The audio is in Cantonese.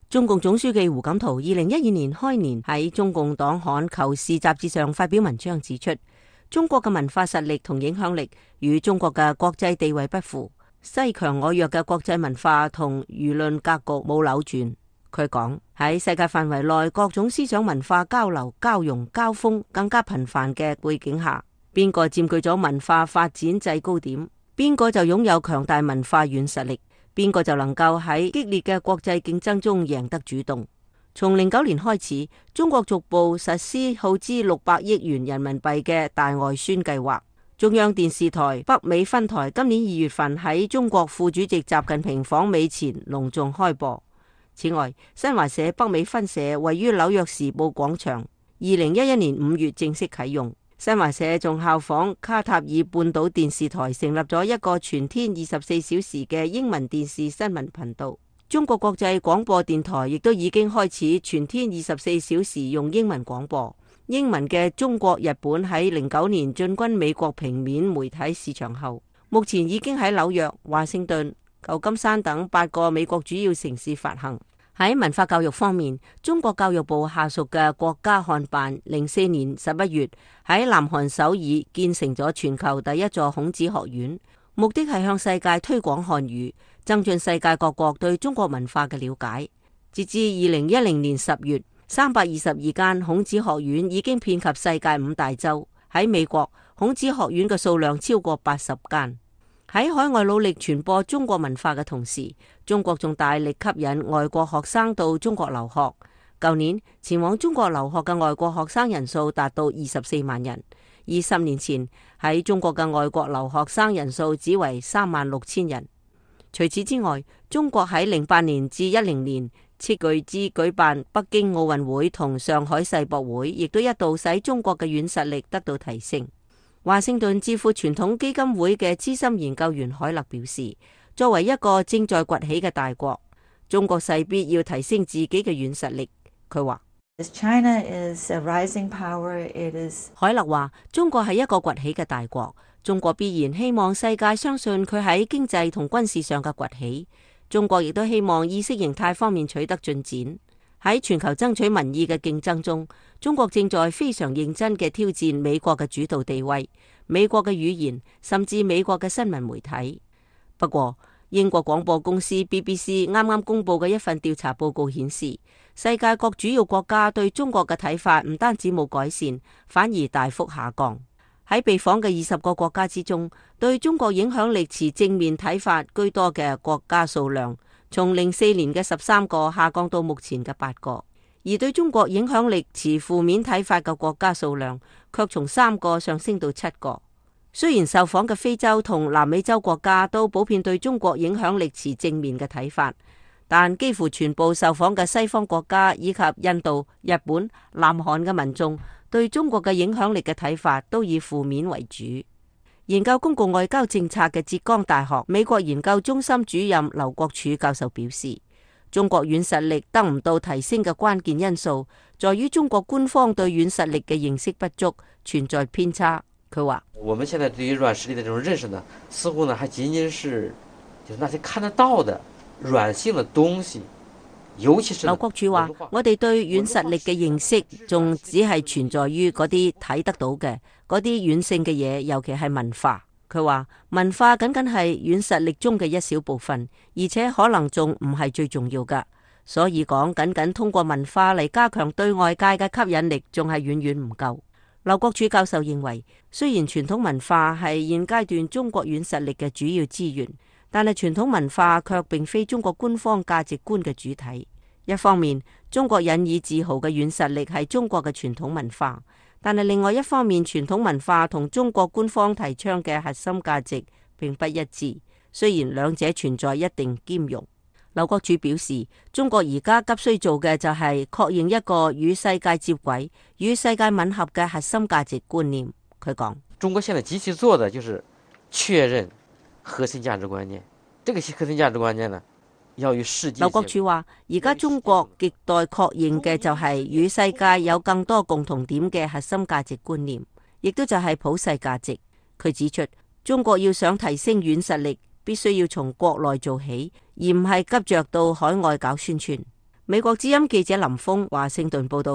中共總書記胡錦濤2012年開年喺中共黨刊《求是》雜誌上發表文章指出，中國嘅文化實力同影響力與中國嘅國際地位不符，西強我弱嘅國際文化同輿論格局冇扭轉。佢講，喺世界範圍內各種思想文化交流、交融、交鋒更加頻繁嘅背景下，邊個佔據咗文化發展制高點，邊個就擁有強大文化軟實力，邊個就能夠喺激烈嘅國際競爭中贏得主動。從09年開始，中國逐步實施耗資600億元人民幣嘅大外宣計劃。中央電視台北美分台今年2月份喺中國副主席習近平訪美前隆重開播。此外，新華社北美分社位於紐約時報廣場，2011年5月正式啟用。新華社仲效仿卡塔爾半島電視台成立咗一個全天24小時嘅英文電視新聞頻道。中國國際廣播電台亦都已經開始全天24小時用英文廣播。英文嘅中國日本喺09年進軍美國平面媒體市場後，目前已經喺紐約、華盛頓、舊金山等8個美國主要城市發行。喺文化教育方面，中國教育部下屬嘅國家漢辦04年11月喺南韓首爾建成咗全球第一座孔子學院，目的係向世界推廣漢語，增進世界各國對中國文化嘅了解。截至2010年10月，322間孔子學院已經遍及世界5大洲。喺美國，孔子學院嘅數量超過80間。喺海外努力傳播中國文化嘅同時，中國仲大力吸引外國學生到中國留學。舊年前往中國留學嘅外國學生人數達到24萬人，而10年前喺中國嘅外國留學生人數只為36000人。除此之外，中國喺08年至10年斥巨資舉辦北京奧運會同上海世博會，亦都一度使中國嘅軟實力得到提升。華盛頓智庫傳統基金會嘅資深研究員海勒表示，作為一個正在崛起嘅大國，中國勢必要提升自己嘅軟實力。佢話海勒話，中國係一個崛起嘅大國，中國必然希望世界相信佢喺經濟同軍事上嘅崛起，中國亦都希望意識形態方面取得進展。喺全球爭取民意嘅競爭中，中國正在非常認真嘅挑戰美國嘅主導地位、美國嘅語言，甚至美國嘅新聞媒體。不過，英國廣播公司 BBC 啱啱公布嘅一份調查報告顯示，世界各主要國家對中國嘅睇法唔單止冇改善，反而大幅下降。喺被訪嘅20個國家之中，對中國影響力持正面睇法居多嘅國家數量，從04年嘅13個下降到目前嘅8個，而對中國影響力持負面睇法嘅國家數量卻從3個上升到7個。雖然受訪嘅非洲同南美洲國家都普遍對中國影響力持正面嘅睇法，但幾乎全部受訪嘅西方國家以及印度、日本、南韓嘅民眾對中國嘅影響力嘅睇法都以負面為主。研究公共外交政策嘅浙江大學美國研究中心主任劉國柱教授表示，中國軟實力得唔到提升嘅關鍵因素，在於中國官方對軟實力嘅認識不足，存在偏差。佢話：我們現在對於軟實力的這種認識呢，似乎呢還僅僅是就是那些看得到的軟性的東西。尤其是劉國柱話：我哋對軟實力嘅認識仲只係存在於嗰啲睇得到嘅嗰啲軟性嘅嘢，尤其係文化。佢話文化僅僅係軟實力中嘅一小部分，而且可能仲唔係最重要噶。所以講僅僅通過文化嚟加強對外界嘅吸引力，仲係遠遠唔夠。劉國柱教授認為，雖然傳統文化係現階段中國軟實力嘅主要資源，但係傳統文化卻並非中國官方價值觀嘅主體。一方面，中國引以自豪嘅軟實力係中國嘅傳統文化，但係另外一方面，傳統文化同中國官方提倡嘅核心價值並不一致，雖然兩者存在一定兼容。劉國柱表示，中國而家急需做嘅就係確認一個與世界接軌、與世界吻合嘅核心價值觀念。佢講：中國現在急需做的就是確認核心價值觀念，這個核心價值觀念呢，要與世界。劉國柱話：而家中國亟待確認嘅就係與世界有更多共同點嘅核心價值觀念，亦都就係普世價值。佢指出，中國要想提升軟實力，必須要從國內做起，而唔係急着到海外搞宣傳。美國之音記者林峰華盛頓報道。